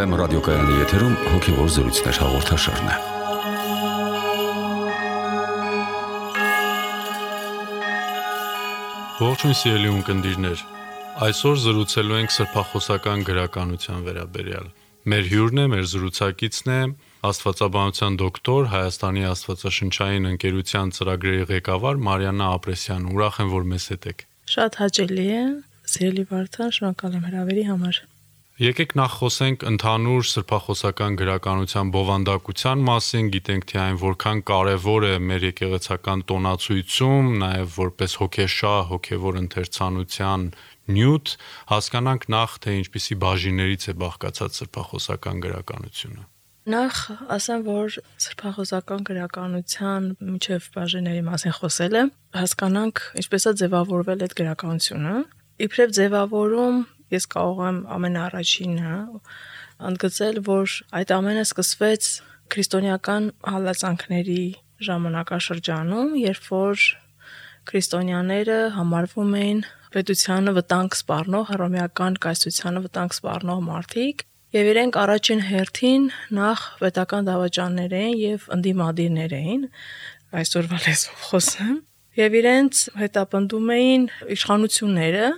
FM ռադիոկայանի եթերում հոգևոր զրույցներ հաղորդաշարն է։ Ողջույն սիրելի ունկնդիրներ, այսօր զրուցելու ենք սրբախոսական գրականության վերաբերյալ։ Մեր հյուրն է, մեր զրուցակիցն է աստվածաբանության դոկտոր, Հայաստանի աստվածաշնչային ընկերության ծրագրերի ղեկավար Մարիաննա Ապրեսյան։ Ուրախ եմ, որ մեզ հետ եք։ Շատ հաճելի է, սիրելի Վարդան, շնորհակալ եմ հրավերի համար։ Եկեք նախ խոսենք ընդհանուր սրբախոսական գրականության բովանդակության մասին, գիտենք թե այն որքան կարևոր է մեր եկեղեցական տոնացույցում, նաև որպես հոգեշահ, հոգևոր ընթերցանության նյութ, հասկանանք նախ թե ինչպիսի բաժիններից է բաղկացած սրբախոսական գրականությունը։ Նախ ասեմ, որ սրբախոսական գրականության միջև բաժինների մասին խոսել եմ, հասկանանք ինչպես է ձևավորվել այդ գրականությունը։ Իբրև ձևավորում ես կարող եմ ամենաառաջինը ընդգծել, որ այդ ամենը սկսվեց քրիստոնեական հալածանքների ժամանակաշրջանում, երբ որ քրիստոնյաները համարվում էին պետությանը վտանգ սպառնող, հռոմեական կայսրությանը վտանգ սպառնող մարդիկ, եւ իրենք առաջին հերթին նախ պետական դավաճաններ էին եւ ընդդիմադիրներ էին, այսօրվա լեզվով խոսեմ, եւ իրենց հետապնդում էին իշխանությունները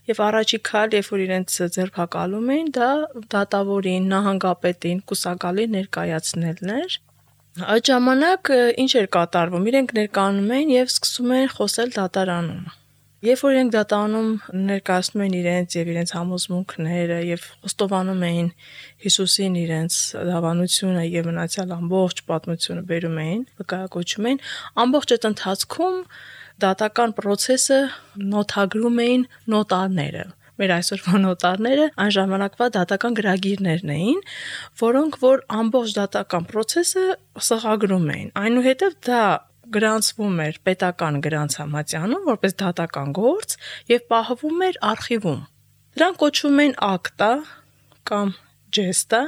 եւ առաջի քայլ, երբ որ իրենց ձերբակալում էին, դա դատավորին, նահանգապետին, կուսակալին ներկայացնելն էր։ Այդ ժամանակ ինչ էր կատարվում, իրենք ներկայանում էին եւ սկսում էին խոսել դատարանում։ Երբ որ իրենք դատարանում ներկայացնում են իրենց եւ իրենց համոզմունքները եւ խոստովանում էին Հիսուսին իրենց դավանությունը եւ մնացյալ ամբողջ պատմությունը բերում էին, վկայակոչում էին, ամբողջ այդ ընթացքում դատական process-ը նոթագրում էին նոտարները։ Մեր այսօրվա նոտարները այն ժամանակվա դատական գրագիրներն էին, որոնք որ ամբողջ դատական process-ը սղագրում էին։ Այնուհետև դա գրանցվում էր պետական գրանցամատյանում որպես դատական գործ եւ պահվում էր արխիվում։ Դրանք կոչվում են ակտա կամ ջեստա,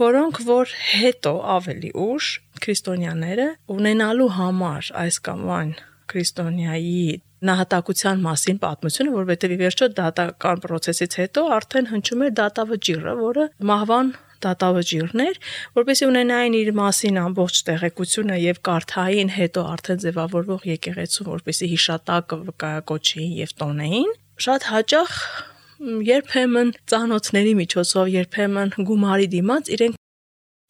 որոնք որ հետո ավելի ուշ քրիստոնյաները ունենալու համար այս կամ այն քրիստոնյայի նահատակության մասին պատմությունը, որովհետև ի վերջո դատական process-ից հետո արդեն հնչում էր դատավճիռը, որը մահվան դատավճիռն էր, որպեսզի ունենային իր մասին ամբողջ տեղեկությունը եւ կարդային հետո արդեն ձևավորվող եկեղեցու, որպեսզի հիշատակը վկայակոչեին եւ տոնեին։ Շատ հաճախ երբեմն ծանոթների միջոցով, երբեմն գումարի դիմաց իրենք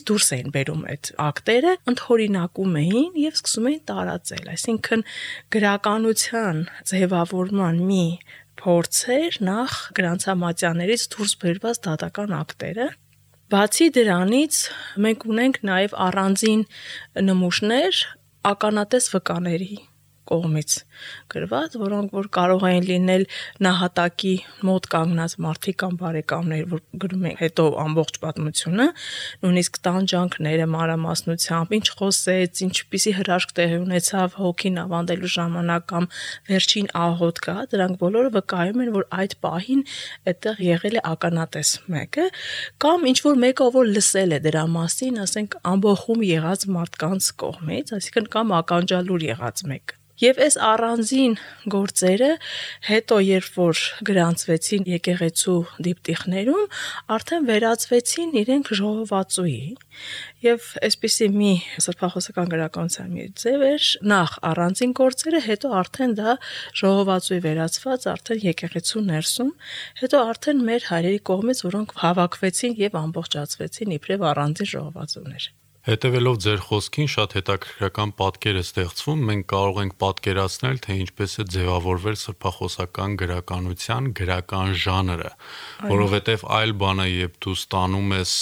դուրս էին բերում այդ ակտերը, ընդհորինակում էին եւ սկսում էին տարածել, այսինքն գրականության ձևավորման մի փորձ էր նախ գրանցամատյաներից դուրս բերված դատական ակտերը։ Բացի դրանից մենք ունենք նաև առանձին նմուշներ ականատես վկաների կողմից գրված, որոնք որ կարող են լինել նահատակի մոտ կանգնած մարդիկ կամ բարեկամներ, որ գրում են հետո ամբողջ պատմությունը, նույնիսկ տանջանքները մանրամասնությամբ, ինչ խոսեց, ինչպիսի հրաշք տեղի ունեցավ հոգին ավանդելու ժամանակ կամ վերջին աղոթ կա, դրանք բոլորը վկայում են, որ այդ պահին այդտեղ եղել է ականատես մեկը, կամ ինչ որ մեկը, որ լսել է դրա մասին, ասենք ամբոխում եղած մարդկանց կողմից, այսինքն կամ ականջալուր եղած մեկը։ Եվ այս առանձին գործերը հետո երբ որ գրանցվեցին եկեղեցու դիպտիխներում, արդեն վերածվեցին իրենք ժողովածուի եւ այսպիսի մի սրբախոսական գրականության մի ձև էր նախ առանձին գործերը, հետո արդեն դա ժողովածուի վերածված արդեն եկեղեցու ներսում, հետո արդեն մեր հայրերի կողմից, որոնք հավաքվեցին եւ ամբողջացվեցին իբրև առանձին ժողովածուներ։ Հետևելով ձեր խոսքին շատ հետաքրքրական պատկեր է ստեղծվում, մենք կարող ենք պատկերացնել, թե ինչպես է ձևավորվել սրբախոսական գրականության գրական ժանրը, որովհետև այլ բան է, երբ դու ստանում ես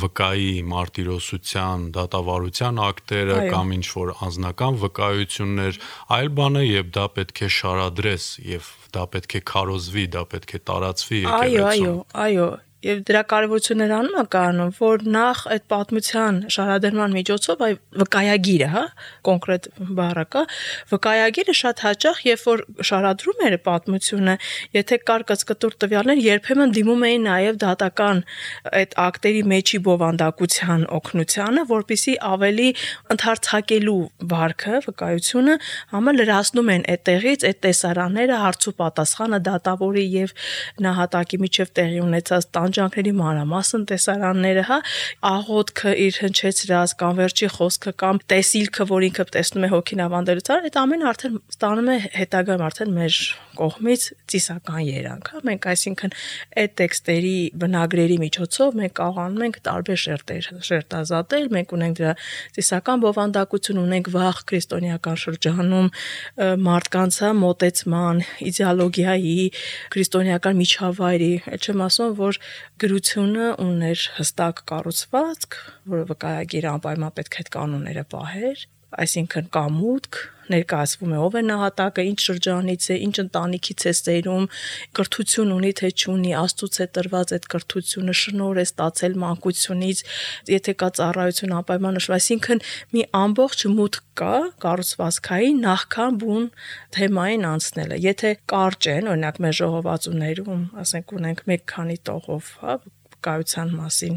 վկայի մարտիրոսության, դատավարության ակտերը կամ ինչ-որ անձնական վկայություններ, այլ բան է, երբ դա պետք է շարադրես եւ դա պետք է քարոզվի, դա պետք է տարածվի եկեղեցում։ Այո, եւ դրա կարևորությունը նրանում է կայանում, որ նախ այդ պատմության շարադրման միջոցով այ վկայագիրը, հա, կոնկրետ բառը կա, վկայագիրը շատ հաճախ, երբ որ շարադրում էր պատմությունը, եթե կար կծկտուր տվյալներ, երբեմն դիմում էին նաեւ դատական այդ ակտերի մեջի բովանդակության օգնությանը, որպեսզի ավելի ընդհարցակելու վարքը, վկայությունը համը լրացնում են այդտեղից այդ տեսարանները, հարց ու պատասխանը դատավորի եւ նահատակի միջև տեղի ունեցած տանջանքների մանրամասն տեսարանները, հա, աղոթքը իր հնչեցրած կամ վերջի խոսքը կամ տեսիլքը, որ ինքը տեսնում է հոգին ավանդելուց, այդ ամենը արդեն ստանում է հետագայում արդեն մեր կողմից ծիսական երանգ, հա, մենք այսինքն այդ տեքստերի բնագրերի միջոցով մենք կարողանում ենք տարբեր շերտեր շերտազատել, մենք ունենք դրա ծիսական բովանդակություն, ունենք վաղ քրիստոնեական շրջանում մարդկանց մոտեցման, իդեոլոգիայի, քրիստոնեական միջավայրի, այդ չեմ ասում, որ գրությունը ուներ հստակ կառուցվածք, որը վկայագիր անպայման պետք է այդ կանոնները պահեր, այսինքն կա մուտք, ներկայացվում է ով է նահատակը, ինչ շրջանից է, ինչ ընտանիքից է ծերում, կրթություն ունի թե չունի, Աստծուց է տրված այդ կրթությունը, շնորհ է ստացել մանկությունից, եթե կա ծառայություն անպայման նշվում, այսինքն մի ամբողջ մուտք կա կառուցվածքային նախքան բուն թեմային անցնելը։ Եթե կարճ են, օրինակ մեր ժողովածուներում, ասենք ունենք մեկ քանի տողով, հա, կայության մասին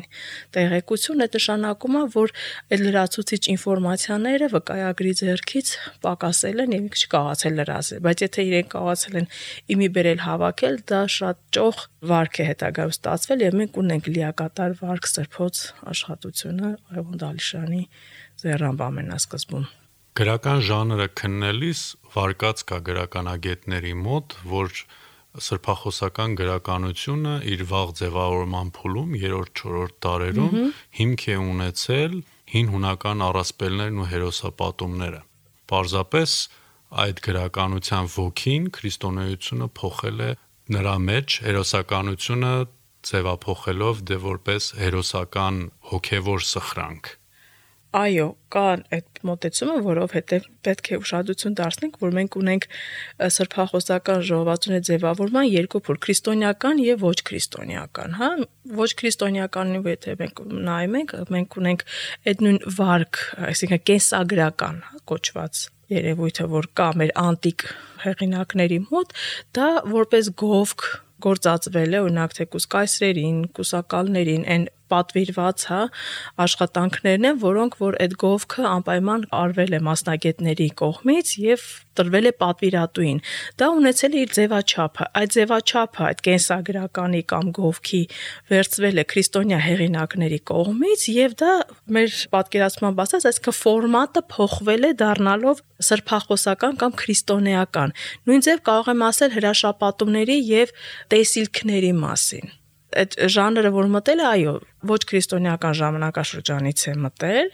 տեղեկություն, այդ նշանակում է, որ այդ լրացուցիչ ինֆորմացիաները վկայագրի ձեռքից պակասել են եւ չկարողացել լրացնել, բայց եթե իրենք կարողացել են իմի բերել հավաքել, դա շատ ճոխ վարք է հետագայում ստացվել եւ մենք ունենք լիակատար վարք սրբոց աշխատությունը Արևոն Դալիշյանի ձեռամբ ամենասկզբում։ Գրական ժանրը քննելիս վարկած կա գրականագետների մոտ, որ սրբախոսական գրականությունը իր վաղ ձևավորման փուլում 3-4 դարերում հիմք է ունեցել հին հունական առասպելներն ու հերոսապատումները։ Պարզապես այդ գրականության ոգին քրիստոնեությունը փոխել է նրա մեջ, հերոսականությունը ձևափոխելով դե որպես հերոսական հոգևոր սխրանք։ Այո, կա այդ մոտեցումը, որովհետև պետք է ուշադրություն դարձնենք, որ մենք ունենք սրբախոսական ժողովածուների ձևավորման երկու փուլ՝ քրիստոնեական եւ ոչ քրիստոնեական, հա, ոչ քրիստոնեականի եթե մենք նայում ենք, մենք ունենք այդ նույն վարք, այսինքն կենսագրական կոչված երևույթը, որ կա մեր անտիկ հեղինակների մոտ, դա որպես գովք գործածվել է, օրինակ թե կուսկայսրերին, կուսակալներին, այն պատվիրված, հա, աշխատանքներն են, որոնք որ այդ գովքը անպայման արվել է մասնագետների կողմից եւ տրվել է պատվիրատուին։ Դա ունեցել է իր ձևաչափը, այդ ձևաչափը, այդ կենսագրականի կամ գովքի վերծվել է քրիստոնյա հեղինակների կողմից եւ դա մեր պատկերացմամբ ասած, այսինքն ֆորմատը փոխվել է դառնալով սրբախոսական կամ քրիստոնեական։ Նույն ձև կարող եմ ասել հրաշապատումների եւ տեսիլքների մասին։ Այդ ժանրը, որ մտել է, այո, ոչ քրիստոնեական ժամանակաշրջանից է մտել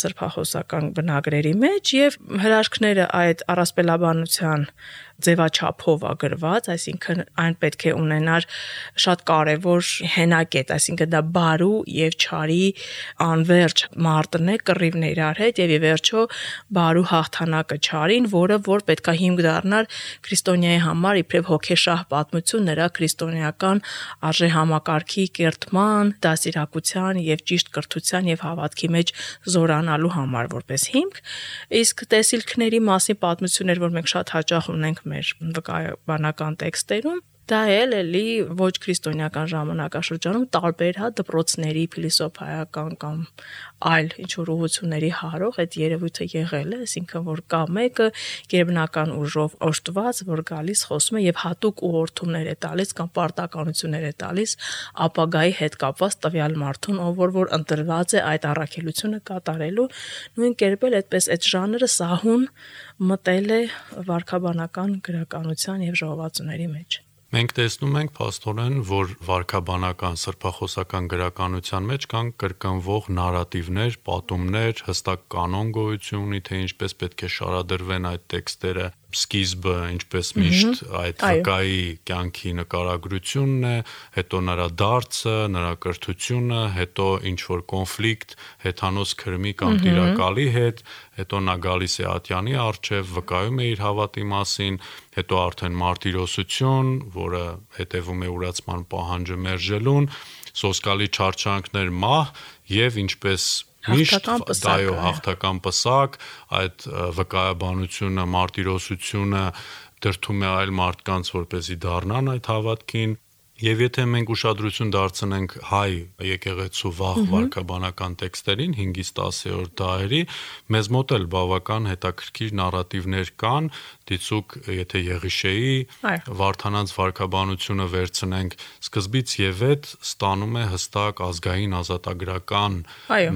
սրբախոսական բնագրերի մեջ եւ հրաշքները այդ առասպելաբանության ձևաչափով ագրված, այսինքն այն պետք է ունենար շատ կարևոր հենակետ, այսինքն դա բարու եւ չարի անverջ մարտն է, կռիվն է իրար հետ եւ ի վերջո բարու հաղթանակը չարին, որը որ պետքա հիմք դառնար քրիստոնյայի համար իբրև հոգեշահ պատմություն նրա քրիստոնեական արժե համակարգի կերտման, դասիրակության եւ ճիշտ կրթության եւ հավատքի մեջ զորանալու համար որպես հիմք, իսկ տեսիլքների մասին պատմություններ, որ մենք շատ հաճախ ունենք մեր վկայաբանական տեքստերում, դա էլի ոչ քրիստոնեական ժամանակաշրջանում տարբեր հա դպրոցների փիլիսոփայական կամ այլ ինչ որ ուղղությունների հարող այդ երևույթը եղել է, այսինքն որ կա մեկը գերբնական ուժով օժտված, որ գալիս խոսում է եւ հատուկ ուղղորդումներ է տալիս կամ պարտականություններ է տալիս ապագայի հետ կապված տվյալ մարդուն, ով որ ընտրված է այդ առաքելությունը կատարելու, նույն կերպ էլ այդպես այդ ժանրը սահուն մտել է վարքաբանական գրականության եւ ժողովածուների մեջ։ Մենք տեսնում ենք փաստորեն, որ վարքաբանական սրբախոսական գրականության մեջ կան կրկնվող նարատիվներ, պատումներ, հստակ կանոն գոյություն ունի, թե ինչպես պետք է շարադրվեն այդ տեքստերը, սկիզբը ինչպես միշտ այդ վկայի կյանքի նկարագրությունն է, հետո նրա դարձը, նրա կրթությունը, հետո ինչ որ կոնֆլիկտ հեթանոս քրմի կամ տիրակալի հետ, հետո նա գալիս է ատյանի առջև, վկայում է իր հավատի մասին, հետո արդեն մարտիրոսություն, որը հետևում է ուրացման պահանջը մերժելուն, սոսկալի չարչանքներ մահ եւ ինչպես միշտ դայո հաղթական պսակ, այդ վկայաբանությունը, մարտիրոսությունը դրդում է այլ մարդկանց, որպեսզի դառնան այդ հավատքին, Եվ եթե մենք ուշադրություն դարձնենք հայ եկեղեցու վաղ վարքաբանական տեքստերին 5-ից 10-րդ դարերի, մեզ մոտ էլ բավական հետաքրքիր նարատիվներ կան, դիցուք եթե Եղիշեի Վարդանանց վարքաբանությունը վերցնենք, սկզբից եւ այդ ստանում է հստակ ազգային ազատագրական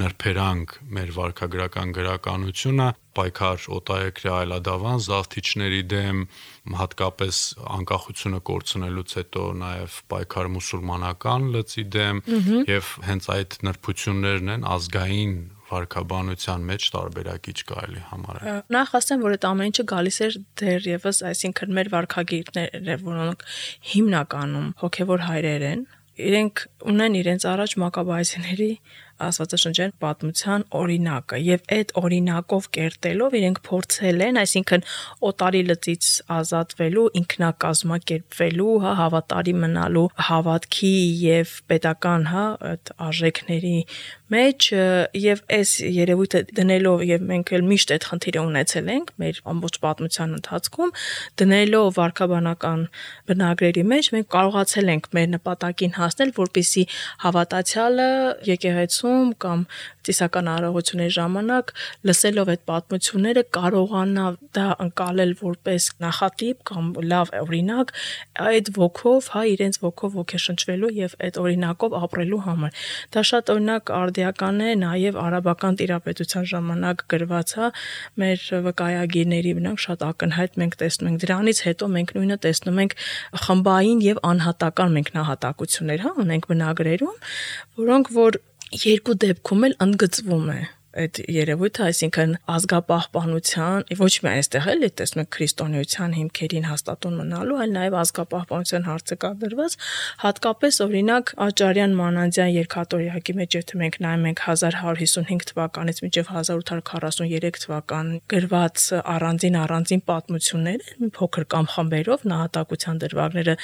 նրբերանգ մեր վարքագրական գրականությունը, պայքար օտարերկրյա այլադավան զավթիչների դեմ, հատկապես անկախությունը կորցնելուց հետո նաև պայքար մուսուլմանական լծի դեմ եւ հենց այդ նրբություններն են ազգային վարքաբանության մեջ տարբերակիչ կարելի համարել։ Նախ ասեմ, որ այդ ամեն ինչը գալիս էր դեռևս, այսինքն մեր վարքագիրները, որոնք հիմնականում հոգևոր հայրեր են, իրենք ունեն իրենց առաջ մակաբայեցիների աստվածաշնչյան պատմության օրինակը եւ այդ օրինակով կերտելով իրենք փորձել են, այսինքն օտարի լծից ազատվելու, ինքնակազմակերպվելու, հավատարի մնալու հավատքի եւ պետական, այդ արժեքների մեջ եւ այս երևույթը դնելով եւ մենք էլ միշտ այդ խնդիրը ունեցել ենք մեր ամբողջ պատմության ընթացքում, դնելով վարքաբանական բնագրերի մեջ մենք կարողացել ենք մեր նպատակին հասնել, որպեսզի հավատացյալը եկեղեցում կամ ծիսական արարողությունների ժամանակ լսելով այդ պատմությունները կարողանա դա ընկալել որպես նախատիպ կամ լավ օրինակ այդ ոգով, իրենց ոգով ոգեշնչվելու եւ այդ օրինակով ապրելու համար։ Դա շատ օրինակ արդիական է նաեւ արաբական տիրապետության ժամանակ գրված, մեր վկայագիրների բնակ շատ ակնհայտ մենք տեսնում ենք դրանից հետո մենք նույնը տեսնում ենք խմբային եւ անհատական մեկնահատակություններ, ունենք բնագրերում, որոնք որ երկու դեպքում էլ ընդգծվում է այդ երևույթը, այսինքն ազգապահպանության, ոչ միայն այստեղ էլ տեսնում եք քրիստոնեության հիմքերին հաստատուն մնալու, այլ նաև ազգապահպանության հարցը կա դրված, հատկապես օրինակ Աճարյան Մանանդյան երկաթորյակի մեջ, եթե մենք նայում ենք 1155 թվականից մինչև 1843 թվական գրված առանձին պատմություններ, մի փոքր կամ խմբերով նահատակության դրվագները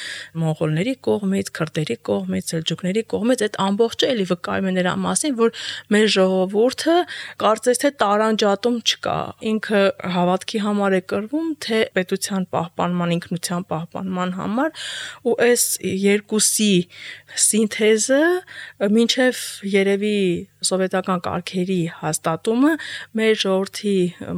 մոնղոլների կողմից, քրդերի կողմից, սելջուկների կողմից, այդ ամբողջը էլի վկայում է նրա մասին, որ մեր ժողովուրդը կարծես թե տարանջատում չկա, ինքը հավատքի համար է կռվում, թե պետության պահպանման, ինքնության պահպանման համար ու այս երկուսի սինթեզը մինչև երևի սովետական կարգերի հաստատումը մեր ժողովրդի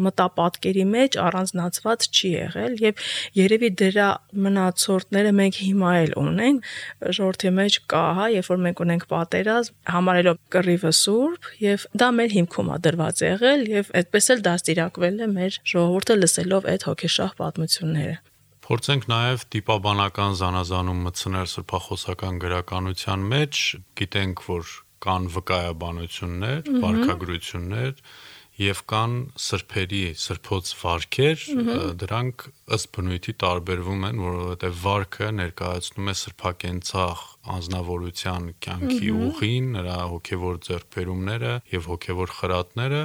մտապատկերի մեջ առանձնացված չի եղել եւ երևի դրա մնացորդները մենք հիմա էլ ունենք ժողովրդի մեջ կա, երբ որ մենք ունենք պատերազմ, համարելով կռիվը սուրբ եւ դա մեր հիմքում է դրված եղել եւ այդպես էլ դաստիարակվել է մեր ժողովուրդը լսելով այդ հոգեշահ պատմությունները։ Փորձենք նաև տիպաբանական զանազանում մտցնել սրբախոսական գրականության մեջ, գիտենք, որ կան վկայաբանություններ, վարքագրություններ եւ կան սրբերի, սրբոց վարքեր, դրանք ըստ բնույթի տարբերվում են, որովհետեւ վարքը ներկայացնում է սրբակենցաղ անznավորության կյանքի ուղին, նրա հոգեվոր ձեռքբերումները եւ հոգեվոր խրատները,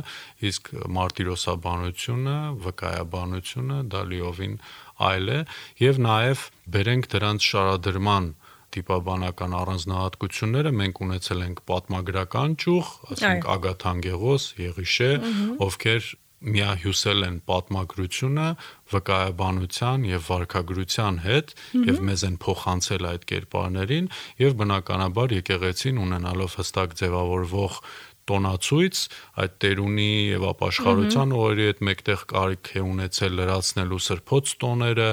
իսկ մարտիրոսաբանությունը, վկայաբանությունը դա լիովին այլ է եւ նաեւ բերենք դրանց շարադրման տիպաբանական առանձնահատկությունները մենք ունեցել ենք պատմագրական ճյուղ, ասենք Ագաթանգեղոս, Եղիշե, ովքեր միահյուսել են պատմագրությունը վկայաբանության եւ վարքագրության հետ եւ մեզ են փոխանցել այդ կերպարներին եւ բնականաբար եկեղեցին ունենալով հստակ ձևավորվող տոնացույց այդ տերունի եւ ապաշխարության օրերի հետ մեկտեղ կարիք է ունեցել լրացնելու սրբոց տոները,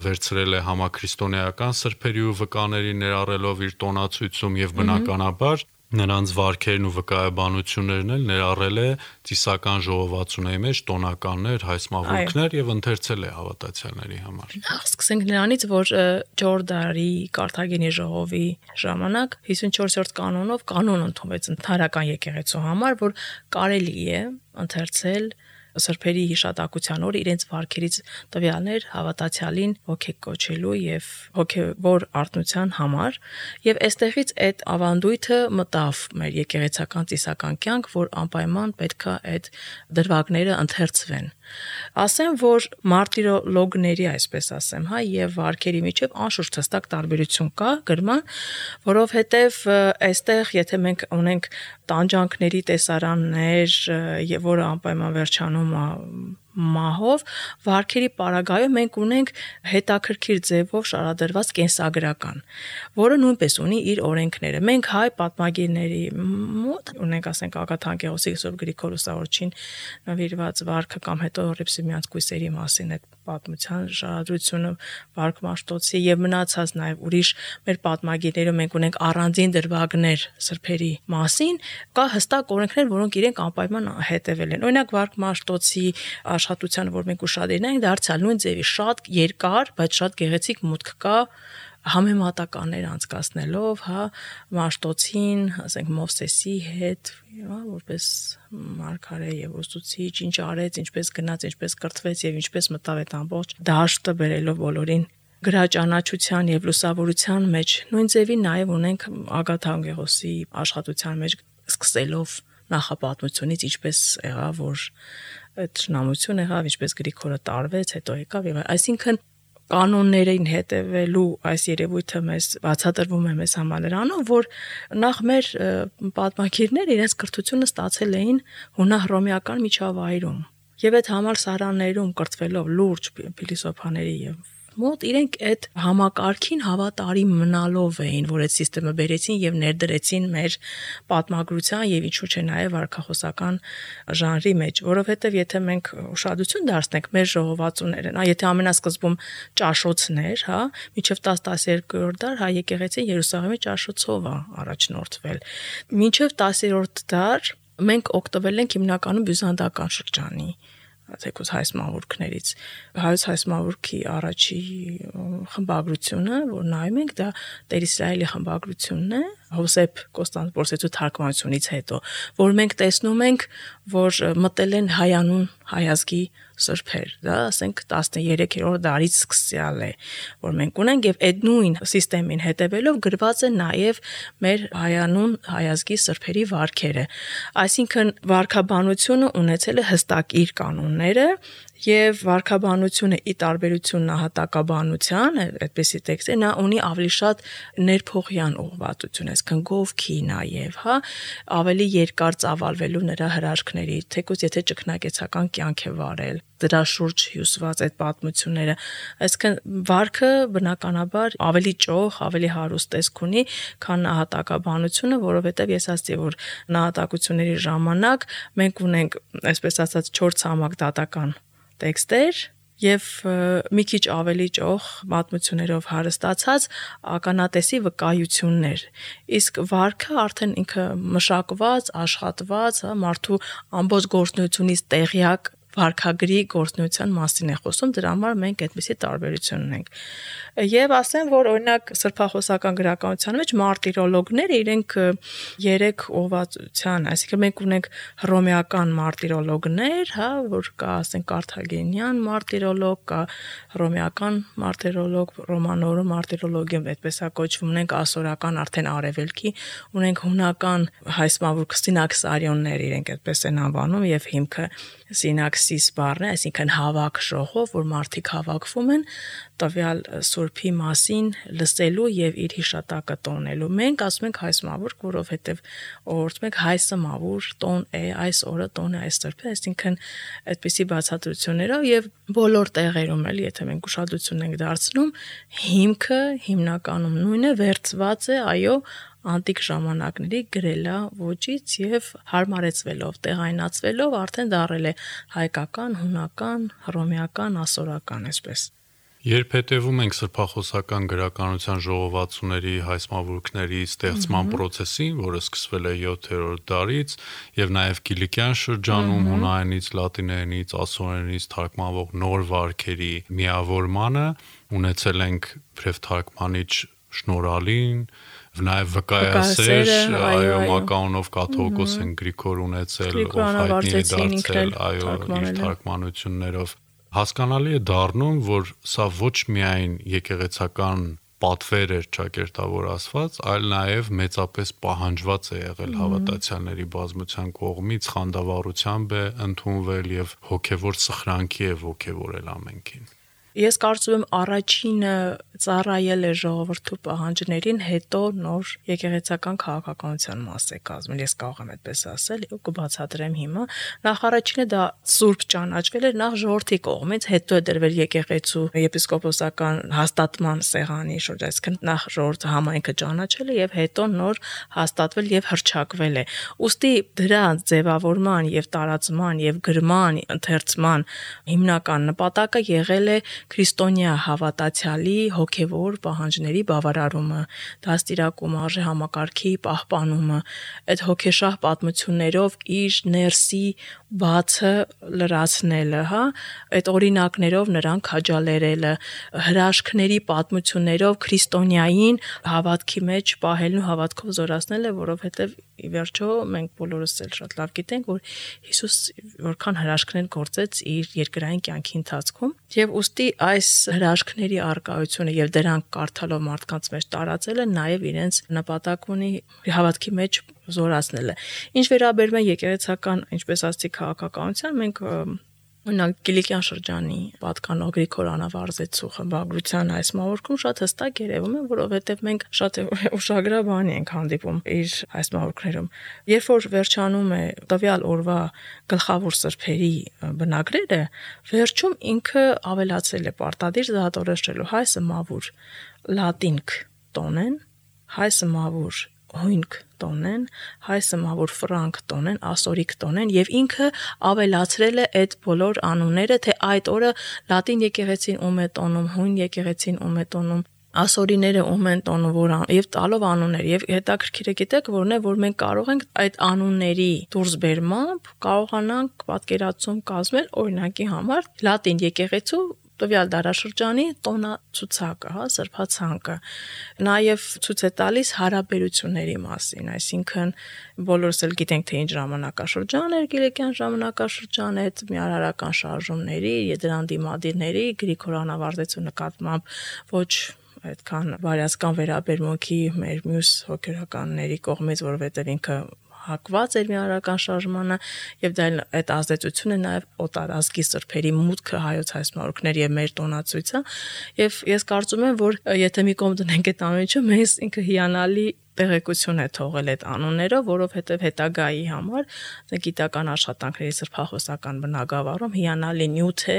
վերցրել է համաքրիստոնեական սրբերի ու վկաների ներառելով իր տոնացույցում եւ բնականաբար նրանց վարքերն ու վկայաբանություններն էլ ներառել է ծիսական ժողովածուների մեջ տոնականներ, հայսմավուրքներ եւ ընթերցել է հավատացյալների համար։ Սկսենք նրանից, որ Ջորդարի Կարթագենի ժողովի ժամանակ 54-րդ կանոնով կանոն ընդունվեց ընդհանրական եկեղեցու համար, որ կարելի է ընթերցել սրբերի հիշատակության օրը իրենց վարքերից տվյալներ հավատացյալին ոգեկոչելու եւ հոգեվոր արտնության համար եւ այստեղից այդ ավանդույթը մտավ մեր եկեղեցական ծիսական կյանք, որ անպայման պետքա այդ դրվագները ընթերցվեն։ Ասեմ, որ մարտիրոլոգների, այսպես ասեմ, եւ վարքերի միջև անշուշտ հստակ տարբերություն կա գրման, որովհետեւ այստեղ եթե մենք ունենք տանջանքների տեսարաններ, որը անպայման վերջանում մահով վարքերի պարագայում մենք ունենք հետաքրքիր ձևով շարադրված կենսագրական, որը նույնպես ունի իր օրենքները։ Մենք հայ պատմագիրների մոտ ունենք, ասենք, Ագաթա Անգեղոսի Սուրբ Գրիգոր Լուսավորչին նվիրված վարքը կամ հետո Ռիփսիմյանց կույսերի մասին այդ պատմության շարադրությունը Վարք Մաշտոցի եւ մնացած նաեւ ուրիշ մեր պատմագիրներում մենք ունենք առանձին դրվագներ սրբերի մասին, կա հստակ օրենքներ, որոնք իրենք անպայման հետևել են։ Օրինակ Վարք Մաշտոցի աշխատությանը, որ մենք ուշադրին ենք, դարձյալ նույն ձևի շատ երկար, բայց շատ գեղեցիկ մուտք կա համեմատականներ անցկացնելով, Մաշտոցին, ասենք Մովսեսի հետ, որպես մարգարե եւ ուսուցիչ, ինչ արեց, ինչպես գնաց, ինչպես կրթվեց եւ ինչպես մտավ այդ ամբողջ դաշտը բերելով բոլորին գրաճանաչության եւ լուսավորության մեջ։ Նույն ձևի նաեւ ունենք Ագաթա Անգեղոսի աշխատության մեջ սկսելով նախապատմությունից, ինչպես եղավ, որ այդ շնամություն եղավ, ինչպես Գրիգորը տարվեց, հետո եկավ եւ այսինքն կանոններին հետևելու այս երևույթը մեզ բացատրվում է մեզ համար նրանով, որ նախ մեր պատմագիրները իրենց կրթությունը ստացել էին հունահռոմեական միջավայրում եւ այդ համալսարաններում կրթվելով լուրջ փիլիսոփաների եւ մոտ իրենք այդ համակարգին հավատարիմ մնալով էին, որ այդ համակարգը բերեցին եւ ներդրեցին մեր պատմագրության եւ ինչու՞ չէ նաեւ վարքախոսական ժանրի մեջ, որովհետեւ եթե մենք ուշադրություն դարձնենք մեր ժողովածուները, եթե ամենասկզբում ճաշոցներ, մինչեւ 10-12-րդ դար հայ եկեղեցին Երուսաղեմի ճաշոցով է առաջնորդվել։ Մինչեւ 10-րդ դար մենք օգտվել ենք հիմնականում բյուզանդական շրջանի թեկուզ հայ մավուրքներից։ Հայոց հայ մավուրքի առաջի խմբագրությունը, որ նայում ենք, դա Տեր Իսրայելի խմբագրությունն է, Հովսեփ Կոստանդնուպոլսեցու թարգմանությունից հետո, որ մենք տեսնում ենք, որ մտել են հայանուն հայազգի սրբեր, դա ասենք 13-րդ դարից սկսյալ է, որ մենք ունենք եւ այդ նույն համակարգին հետևելով գրված է նաեւ մեր հայանուն հայազգի սրբերի վարքերը։ Այսինքն վարքաբանությունը ունեցել է հստակ իր կանոնները եւ վարքաբանությունը ի տարբերություն նահատակաբանության, այդպեսի տեքստ է, նա ունի ավելի շատ ներփողյան ուղղվածություն, այսինքն գովքի նաեւ, ավելի երկար ծավալվելու նրա հրաշքների, թեկուզ եթե ճգնակեցական կյանք է վարել, դրա շուրջ հյուսված այդ պատմությունները, այսինքն վարքը բնականաբար ավելի ճոխ, ավելի հարուստ տեսք ունի, քան նահատակաբանությունը, որովհետեւ ես ասացի, որ նահատակությունների ժամանակ մենք ունենք, այսպես ասած, 4 ցամաք դատական տեքստեր եւ մի քիչ ավելի ճոխ պատմություններով հարստացած ականատեսի վկայություններ։ Իսկ վարքը արդեն ինքը մշակված, աշխատված, մարդու ամբողջ գործունեությունից տեղյակ վարքագրի գործունեության մասին է խոսում, դրա համար մենք այդպիսի տարբերություն ունենք։ Եվ ասեմ, որ օրինակ սրբախոսական գրականության մեջ մարտիրոլոգները իրենք 3 ուղղվածության, այսինքն մենք ունենք հռոմեական մարտիրոլոգներ, որ կա, ասենք, կարթագենյան մարտիրոլոգ, կա հռոմեական մարտիրոլոգ, ռոմանորում մարտիրոլոգիում, այդպես է կոչվում, ունենք ասորական արդեն արևելքի, ունենք հունական հայսմավուրք սինաքսարիոններ, իրենք այդպես են անվանում եւ հիմքը սինաքսիս բառն է, այսինքն հավաք ժողով, որ մարդիկ հավաքվում են տվյալ սուրբի մասին լսելու եւ իր հիշատակը տոնելու։ Մենք ասում ենք հայ մավուրք, որովհետեւ օրորտում ենք հայսը մավուր, տոն է, այս օրը տոն է, այս սրբը, այսինքն այդպիսի բացատրություններով եւ բոլոր տեղերում էլ, եթե մենք ուշադրություն ենք դարձնում, հիմքը հիմնականում նույնն է, վերծված է, այո, անտիկ ժամանակների գրելա ոճից եւ հարմարեցվելով, տեղայնացվելով արդեն դարել է հայկական, հունական, հռոմեական, ասորական, այսպես։ Երբ հետևում ենք սրբախոսական գրականության ժողովածուների հայսմավուրքների ստեղծման process-ին, որը սկսվել է 7-րդ դարից, եւ նաեւ Կիլիկյան շրջանում հունայինից, լատիներենից, ասորերենից թարգմանվող նոր վարքերի միավորմանը, ունեցել ենք իբրև թարգմանիչ շնորհալին, Նաև վկայասեր, այո, մականունով կաթողիկոս են Գրիգոր ունեցել, ով հայտնի է դարձել, այո, իր թարգմանություններով։ Հասկանալի է դառնում, որ սա ոչ միայն եկեղեցական պատվեր էր ճակերտավոր ասված, այլ նաև մեծապես պահանջված է եղել հավատացյալների բազմության կողմից, խանդավառությամբ է ընդունվել եւ հոգեվոր սխրանքի է ոգևորել ամենքին։ Ես կարծում եմ առաջինը ծառայել է ժողովրդու պահանջներին, հետո նոր եկեղեցական քաղաքականության մաս է կազմել, ես կարող եմ այդպես ասել, ու կբացատրեմ հիմա։ Նախ առաջինը դա սուրբ ճանաչվել էր նախ ժողովրդի կողմից, հետո է դրվել եկեղեցու եպիսկոպոսական հաստատման սեղանի շուրջ, այսինքն նախ ժողովրդը համայնքը ճանաչել է եւ հետո նոր հաստատվել եւ հռչակվել է։ Ուստի դրա ձևավորման եւ տարածման եւ գրման ընթերցման հիմնական նպատակը եղել է քրիստոնյա հավատացյալի հոգևոր պահանջների բավարարումը, դաստիարակումը, արժե համակարգի պահպանումը, այդ հոգեշահ պատմություններով իր ներսի բացը լրացնելը, հա, այդ օրինակներով նրան քաջալերելը, հրաշքների պատմություններով քրիստոնյային հավատքի մեջ պահելն ու հավատքով զորացնելը, որովհետև ի վերջո մենք բոլորս էլ շատ լավ գիտենք, որ Հիսուս որքան հրաշքներ գործեց իր երկրային կյանքի ընթացքում, եւ ուստի այս հրաշքների արկայությունը եւ դրանք կարդալով մարդկանց մեջ տարածելը նաեւ իրենց նպատակ ունի հավատքի մեջ զորացնելը։ Ինչ վերաբերում է եկեղեցական, ինչպես ասացի, քաղաքականության, մենք օրինակ Կիլիկյան շրջանի պատկանող Գրիգոր Անավարձեցու խմբագրության այս մավորքում շատ հստակ երևում է, որովհետև մենք շատ ուշագրավ ենք հանդիպում իր այս մավորքներում։ Երբ որ վերջանում է տվյալ օրվա գլխավոր սրբերի բնագրերը, վերջում ինքը ավելացել է պարտադիր զատորոշելու հայ սմավուր լատինք տոնեն, հայ սմավուր հույնք տոնեն, հայ սմավուր ֆրանկ տոնեն, ասորիկ տոնեն եւ ինքը ավելացրել է այդ բոլոր անունները, թե այդ օրը լատին եկեղեցին ում է տոնում, հույն եկեղեցին ում է տոնում, ասորիները ում են տոնում, որ եւ տալով անուններ եւ հետաքրքիր է գիտեք որն է, որ մենք կարող ենք այդ անունների դուրսբերմամբ կարողանանք պատկերացում կազմել օրինակի համար լատին եկեղեցու տվյալ դարաշրջանի տոնացուցակը, հա, սրբացանկը, նաև ցույց է տալիս հարաբերությունների մասին, այսինքն բոլորս էլ գիտենք, թե ինչ ժամանակաշրջան էր Կիլիկյան ժամանակաշրջանը, այդ միարարական շարժումների, դրան դիմադիրների, Գրիգոր Անավարձեցու նկատմամբ ոչ այդքան բարյացկան վերաբերմունքի մեր մյուս հոգևորականների կողմից, որովհետև ինքը հակված էր միարարական շարժմանը եւ դա այդ ազդեցությունը նաեւ օտարազգի սրբերի մուտքը հայոց հայսմարուկներ եւ մեր տոնացույցը եւ ես կարծում եմ որ եթե մի կողմ դնենք այդ ամենը մեզ ինքը հիանալի տեղեկություն է թողել այդ անուններով, որովհետև հետագայի համար գիտական աշխատանքների սրբախոսական բնագավառում հիանալի նյութ է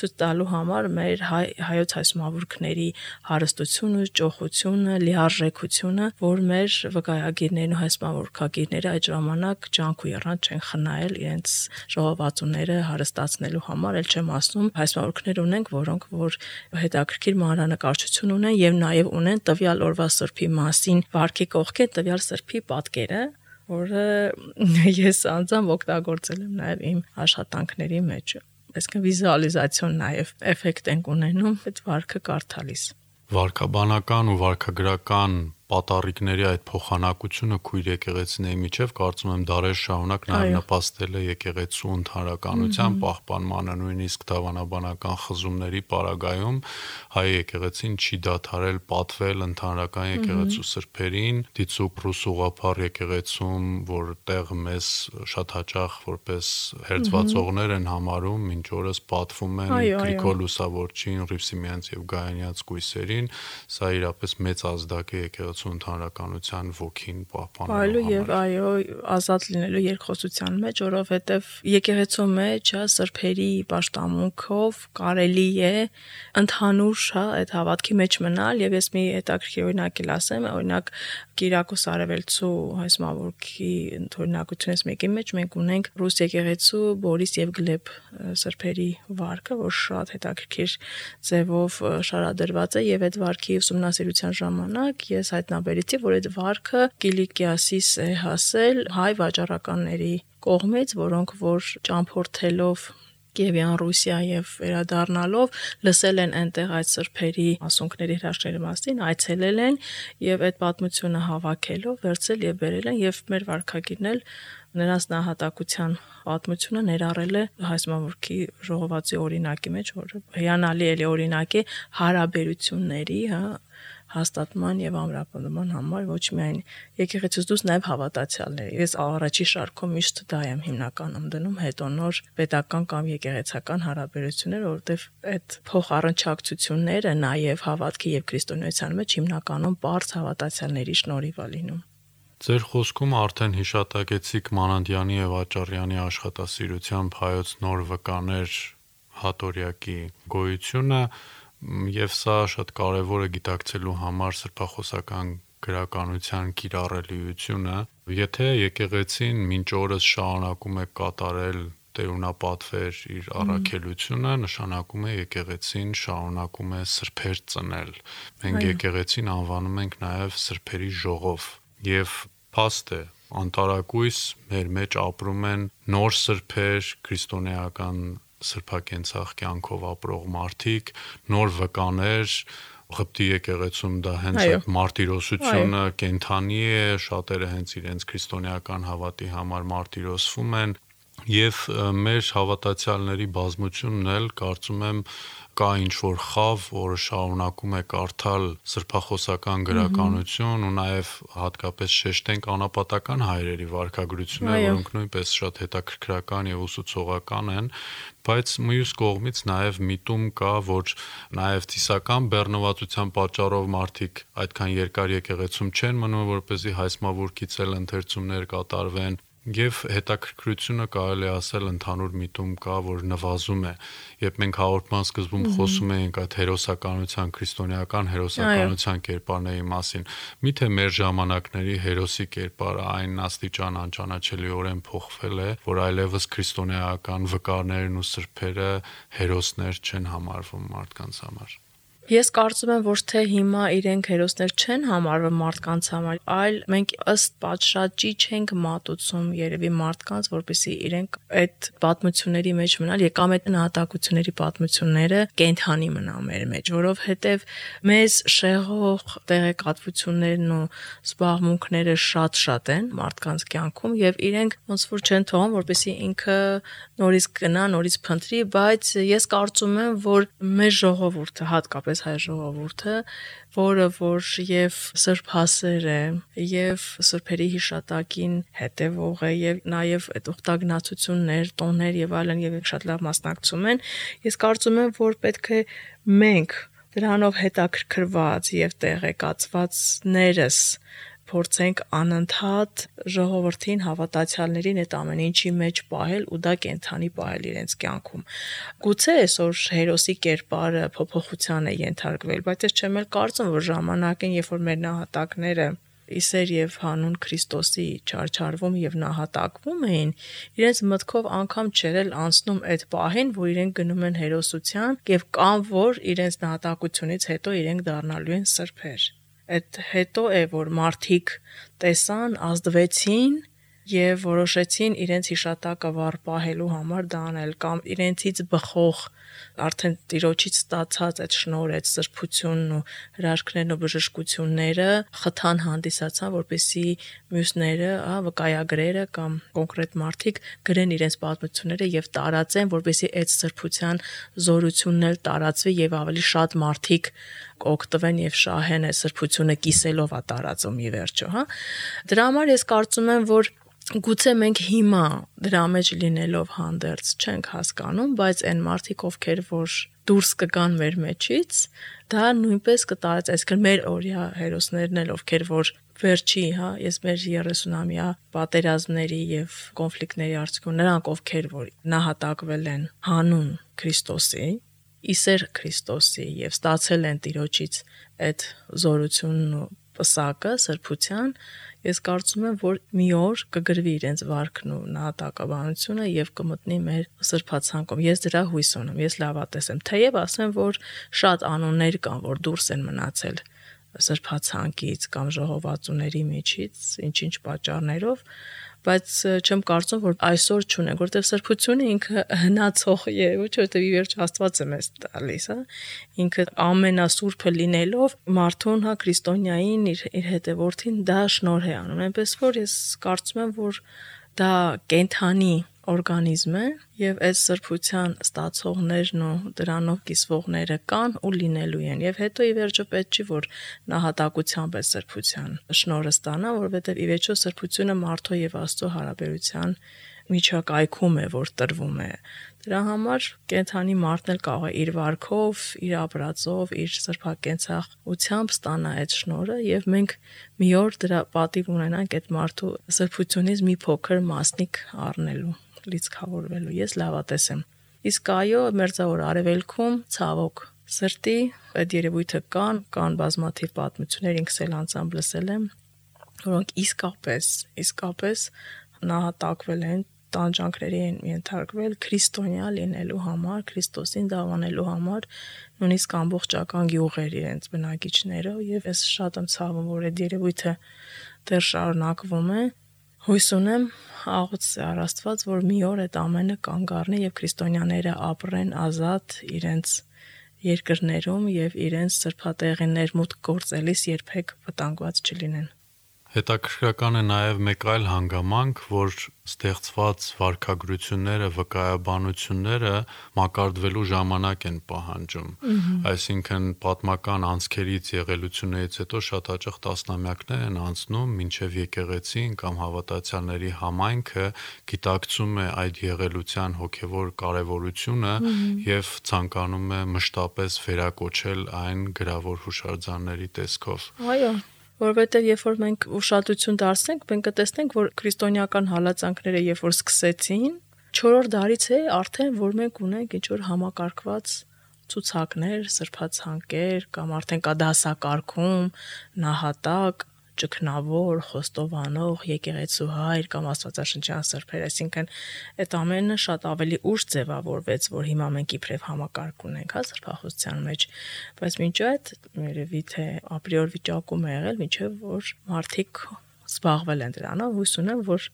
ցույց տալու համար մեր հայոց հայսմավուրքների հարստությունը, ճոխությունը, լիարժեքությունը, որ մեր վկայագիրներն ու հայսմավուրքագիրները այդ ժամանակ ջանք ու եռանդ չեն խնայել իրենց ժողովածուները հարստացնելու համար, էլ չեմ ասում հայսմավուրքներ ունենք, որոնք որ հետաքրքիր մանրանկարչություն ունեն եւ նաեւ ունեն տվյալ օրվա սրբի մասին վարքի կողքին տվյալ սրբի պատկերը, որը ես անձամբ օգտագործել եմ նաև իմ աշխատանքների մեջ։ Այսինքն վիզուալիզացիոն նաև էֆեկտ ենք ունենում այդ վարքը կարդալիս։ Վարքաբանական ու վարքագրական պատառիկների այդ փոխանակությունը քույր եկեղեցիների միջև կարծում եմ դարեր շարունակ նաև նպաստել է եկեղեցու ընդհանրականության պահպանմանը, նույնիսկ դավանաբանական խզումների պարագայում հայ եկեղեցին չի դադարել պատվել ընդհանրական եկեղեցու սրբերին, դիցուկ ռուս ուղղափառ եկեղեցում, որտեղ մեզ շատ հաճախ որպես հերձվածողներ են համարում, մինչ օրս պատվում են Գրիգոր Լուսավորչին, Հռիփսիմյանց եւ Գայանյաց կույսերին, սա իրապես մեծ ազդակ է եկեղեցու ընդհանրականության ոգին պահպանելու համար։ Եւ այո, ազատ լինելու երկխոսության մեջ, որովհետեւ եկեղեցու մեջ սրբերի պաշտամունքով կարելի է ընդհանուր այդ հավատքի մեջ մնալ եւ ես մի հետաքրքիր օրինակ էլ ասեմ, օրինակ Կիրակոս Արևելցու հայսմավուրքի ընդօրինակությունից մեկի մեջ մենք ունենք ռուս եկեղեցու Բորիս եւ Գլեբ սրբերի վարքը, որ շատ հետաքրքիր ձևով շարադրված է եւ այդ վարքի ուսումնասիրության ժամանակ ես հայտնաբերեցի, որ այդ վարքը Կիլիկիասից է հասել հայ վաճառականների կողմից, որոնք որ ճամփորդելով Կիևյան Ռուսիա եւ վերադառնալով լսել են այնտեղ այդ սրբերի ասունքների հրաշքների մասին, այցելել են եւ այդ պատմությունը հավաքելով վերցել եւ բերել են եւ մեր վարքագիրն էլ նրանց նահատակության պատմությունը ներառել է հայսմավուրքի ժողովածուի օրինակի մեջ, որը հիանալի էլի օրինակ է հարաբերությունների, հա, հաստատման եւ ամրապնդման համար ոչ միայն եկեղեցուց դուրս նաեւ հավատացյալների։ Ես առաջի շարքում միշտ դա եմ հիմնականում դնում, հետո նոր պետական կամ եկեղեցական հարաբերություններ, որովհետեւ այդ փոխառնչակցությունները նաեւ հավատքի եւ քրիստոնեության մեջ հիմնականում բարձ հավատացյալների շնորհիվ է լինում։ Ձեր խոսքում արդեն հիշատակեցիք Մանանդյանի եւ Աճառյանի աշխատասիրությամբ հայոց նոր վկաներ հատորյակի գոյությունը, եւ սա շատ կարեւոր է գիտակցելու համար սրբախոսական գրականության կիրառելիությունը։ Եթե եկեղեցին մինչ օրս շարունակում է կատարել տերունապատվեր իր առաքելությունը, նշանակում է եկեղեցին շարունակում է սրբեր ծնել։ Մենք եկեղեցին անվանում ենք նաեւ սրբերի ժողով եւ փաստ է անտարակույս մեր մեջ ապրում են նոր սրբեր, քրիստոնեական սրբակենցաղ կյանքով ապրող մարդիկ, նոր վկաներ, Ղպտի եկեղեցում դա հենց այդ մարտիրոսությունը կենթանի է, շատերը հենց իրենց քրիստոնեական հավատի համար մարտիրոսվում են եւ մեր հավատացյալների բազմությունն էլ կարծում եմ կա ինչ-որ խավ, որը շարունակում է կարդալ սրբախոսական գրականություն ու նաև հատկապես շեշտենք անապատական հայրերի վարքագրությունը, որոնք նույնպես շատ հետաքրքրական եւ ուսուցողական են, բայց մյուս կողմից նաև միտում կա, որ նաև թիսական բեռնվածության պատճառով մարդիկ այդքան երկար եկեղեցում չեն մնում, որպեսզի հայսմավուրքից էլ ընթերցումներ կատարվեն Եվ հետաքրքրությունը կարելի ասել ընդհանուր միտում կա, որ նվազում է։ Երբ մենք հաղորդման սկզբում խոսում էինք այդ հերոսականության, քրիստոնեական հերոսականության կերպարների մասին, միթե մեր ժամանակների հերոսի կերպարը այն աստիճան անճանաչելիորեն փոխվել է, որ այլևս քրիստոնեական վկարներն ու սրբերը հերոսներ չեն համարվում մարդկանց համար։ Ես կարծում եմ, ոչ թե հիմա իրենք հերոսներ չեն համարվում մարդկանց համար, այլ մենք ըստ պատշաճի չենք մատուցում երևի մարդկանց, որպեսզի իրենք այդ պատմությունների մեջ մնալ, եկամ այդ նահատակությունների պատմությունները կենթանի մնա մեր մեջ, որովհետև մեզ շեղող տեղեկատվություններն ու զբաղմունքները շատ են մարդկանց կյանքում եւ իրենք ոնց որ չեն թողում, որպեսզի ինքը նորից գնա, նորից փնտրի, բայց ես կարծում եմ, որ մեր ժողովուրդը հատկապես հայ ժողովուրդը, որը որ եւ սրբասեր է, եւ սրբերի հիշատակին հետեւող է, եւ նաեւ այդ ուխտագնացություններ, տոներ եւ այլն եւ շատ լավ մասնակցում են, ես կարծում եմ, որ պետք է մենք դրանով հետաքրքրված եւ տեղեկացվածներս փորձենք անընդհատ ժողովրդին հավատացյալներին այդ ամեն ինչի մեջ պահել ու դա կենթանի պահել իրենց կյանքում։ Գուցե այսօր հերոսի կերպարը փոփոխության է ենթարկվել, բայց ես չեմ էլ կարծում, որ ժամանակին, երբ որ մեր նահատակները իսեր եւ հանուն Քրիստոսի չարչարվում եւ նահատակվում էին, իրենց մտքով անգամ չէր էլ անցնում այդ պահին, որ իրենք գնում են հերոսության եւ կամ որ իրենց նահատակությունից հետո իրենք դառնալու են սրբեր։ Այդ հետո է, որ մարդիկ տեսան, ազդվեցին եւ որոշեցին իրենց հիշատակը վառ պահելու համար դա անել կամ իրենցից բխող արդեն Տիրոջից ստացած այդ շնորհ, այդ սրբությունն ու հրաշքներն ու բժշկությունները խթան հանդիսացան, որպեսզի մյուսները, վկայագրերը կամ կոնկրետ մարդիկ գրեն իրենց պատմությունները եւ տարածեն, որպեսզի այդ սրբության զորությունն էլ տարածվի եւ ավելի շատ մարդիկ օգտվեն եւ շահեն այդ սրբությունը կիսելով է տարածում ի վերջո, Դրա համար ես կարծում եմ, որ գուցե մենք հիմա դրա մեջ լինելով հանդերձ չենք հասկանում, բայց այն մարդիկ, ովքեր որ դուրս կգան մեր մեջից, դա նույնպես կտարածի, այսինքն մեր օրյա հերոսներն էլ, ովքեր որ վերջի, ես մեր 30-ամյա պատերազմների եւ կոնֆլիկտների արդյունքում նրանք, ովքեր որ նահատակվել են հանուն Քրիստոսի, իսեր Քրիստոսի եւ ստացել են Տիրոջից այդ զորությունն ու պսակը սրբության, ես կարծում եմ, որ մի օր կգրվի իրենց վարքն ու նահատակաբանությունը եւ կմտնի մեր սրբացանկում։ Ես դրա հույս ունեմ, ես լավատես եմ։ Թեև ասեմ, որ շատ անուններ կան, որ դուրս են մնացել սրբացանկից կամ ժողովածուների միջից, ինչ-ինչ պատճառներով, բայց չեմ կարծում, որ այսօր չունենք, որովհետև սրբությունը ինքը հնացող է, ոչ որովհետև ի վերջ Աստված է մեզ տալիս, Ինքը ամենասուրբը լինելով մարդուն, քրիստոնյային իր հետևորդին դա շնորհ է անում, այնպես որ ես կարծում եմ, որ դա կենթանի օրգանիզմ է եւ այս սրբության ստացողներն ու դրանով կիսվողները կան ու լինելու են եւ հետո ի վերջո պետք չի որ նահատակությամբ է սրբության շնորհը ստանա, որովհետեւ ի վերջո սրբությունը մարդու եւ Աստծո հարաբերության միջակայքում է, որ տրվում է։ Դրա համար կենթանի մարդն էլ կարող է իր վարքով, իր ապրածով, իր սրբակենցաղությամբ ստանա այդ շնորհը եւ մենք մի օր դրա պատիվ ունենանք այդ մարդու սրբությունից մի փոքր մասնիկ առնելու, լիցքավորվելու։ Ես լավատես եմ։ Իսկ այո, մերձավոր արևելքում ցավոք սրտի այդ երևույթը կան բազմաթիվ պատմություններ, ինքս էլ անձամբ լսել եմ, որոնք իսկապես նահատակվել են, տանջանքների են ենթարկվել քրիստոնյա լինելու համար, Քրիստոսին դավանելու համար, նույնիսկ ամբողջական գյուղեր իրենց բնակիչներով եւ ես շատ եմ ցավում, որ այդ երևույթը դեռ շարունակվում է։ Հույս ունեմ աղոթ Սար Աստված, որ մի օր այդ ամենը կանգ առնի եւ քրիստոնյաները ապրեն ազատ իրենց երկրներում եւ իրենց սրբատեղիներ մուտք գործելիս երբեք վտանգված չլինեն։ Հետաքրքրական է նաև մեկ այլ հանգամանք, որ ստեղծված վարքագրությունները, վկայաբանությունները մակարդվելու ժամանակ են պահանջում։ Այսինքն պատմական անցքերից եղելություններից հետո շատ հաճախ տասնամյակներ են անցնում, մինչև եկեղեցին կամ հավատացյալների համայնքը գիտակցում է այդ եղելության հոգևոր կարևորությունը եւ ցանկանում է մշտապես վերակոչել այն գրավոր հուշարձանների տեսքով։ Այո, որովհետև երբ որ մենք ուշադրություն դարձնենք, մենք կտեսնենք, որ քրիստոնեական հալածանքները երբ որ սկսեցին, 4-րդ դարից է արդեն, որ մենք ունենք ինչ-որ համակարգված ցուցակներ, սրբացանկեր կամ արդեն կա դասակարգում, նահատակ, ճգնավոր, խոստովանող, եկեղեցուհայր կամ աստվածաշնչյան սրբեր, այսինքն այդ ամենը շատ ավելի ուշ ձևավորվեց, որ հիմա մենք իբրև համակարգ ունենք, սրբախոսության մեջ, բայց մինչ այդ երևի թե ապրիոր վիճակում է եղել, մինչև որ մարդիկ զբաղվել են դրանով, հույս ունեմ, որ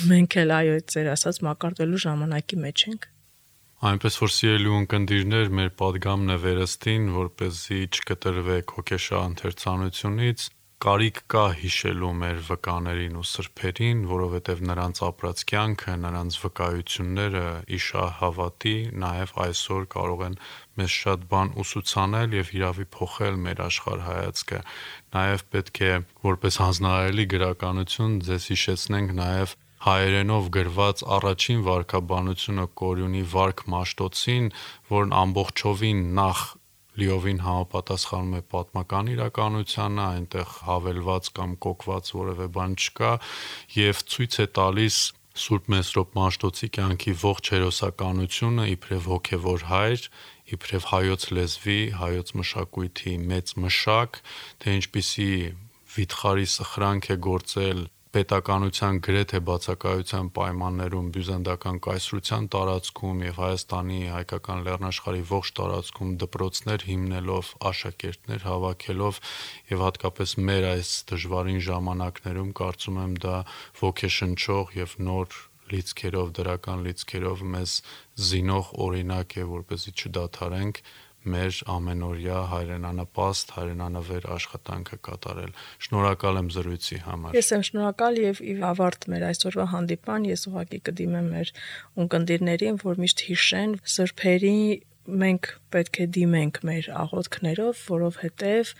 մենք էլ այո, ձեր ասած մակարդվելու ժամանակի մեջ ենք։ Այնպես որ սիրելի ունկնդիրներ, մեր падգամն է վերստին, որպեսզի չկտրվեք հոգեշա ընթերցանությունից, կարիք կա հիշելու մեր վկաներին ու սրբերին, որովհետև նրանց ապրած կյանքը, նրանց վկայությունները իշահ հավատի, նաև այսօր կարող են մեզ շատ բան ուսուցանել եւ իրավի փոխել մեր աշխարհայացքը։ Նաև պետք է որպես հանձնարարելի գրականություն ձեզ հիշեցնենք նաև հայերենով գրված առաջին վարքաբանությունը Կորյունի վարք Մաշտոցին, որն ամբողջովին նախ լիովին համապատասխանում է պատմական իրականությանը, այնտեղ հավելված կամ կոկված որևէ բան չկա եւ ցույց է տալիս Սուրբ Մեսրոպ Մաշտոցի կյանքի ողջ հերոսականությունը իբրև հոգևոր հայր, իբրև հայոց լեզվի, հայոց մշակույթի մեծ մշակ, թե ինչպիսի վիթխարի սխրանք է գործել պետականության գրեթե բացակայության պայմաններում բյուզանդական կայսրության տարածքում եւ Հայաստանի հայկական լեռնաշխարհի ողջ տարածքում դպրոցներ հիմնելով, աշակերտներ հավաքելով եւ հատկապես մեր այս դժվարին ժամանակներում կարծում եմ դա ոգեշնչող եւ նոր լիցքերով, դրական լիցքերով մեզ զինող օրինակ է, որպեսզի չդադարենք մեր ամենօրյա հայրենանպաստ, հայրենանվեր աշխատանքը կատարել։ Շնորհակալ եմ զրույցի համար։ Ես եմ շնորհակալ եւ ի ավարտ մեր այսօրվա հանդիպան ես ուղղակի կդիմեմ մեր ունկնդիրներին, որ միշտ հիշեն սրբերի մենք պետք է դիմենք մեր աղոթքներով, որովհետև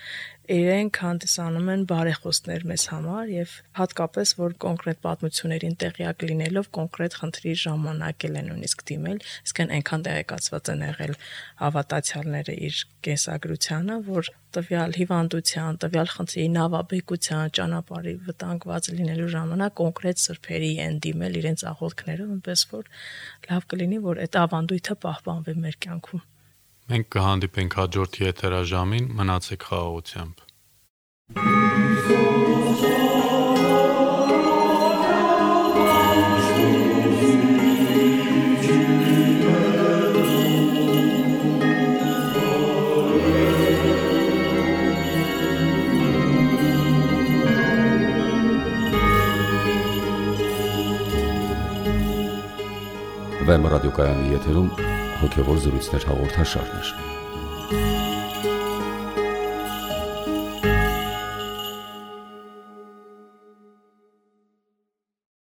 իրենք հանդիսանում են բարեխոսներ մեզ համար եւ հատկապես որ կոնկրետ պատմություններին տեղյակ լինելով կոնկրետ խնդրի ժամանակ են նույնիսկ դիմել, իսկ այնքան տեղեկացված են եղել հավատացյալները իր կենսագրությանը, որ տվյալ հիվանդության, տվյալ խնդրի նավաբեկության, ճանապարհի վտանգված լինելու ժամանակ կոնկրետ սրբերի են դիմել իրենց աղոթքներով, այնպես որ լավ կլինի, որ այդ ավանդույթը պահպանվի մեր կյանքում։ Մենք կհանդիպենք հաջորդ եթերաժամին, մնացեք խաղաղությամբ։ Վեմ ռադիոկայանի եթերում հոգևոր զրույցներ հաղորդաշարներ։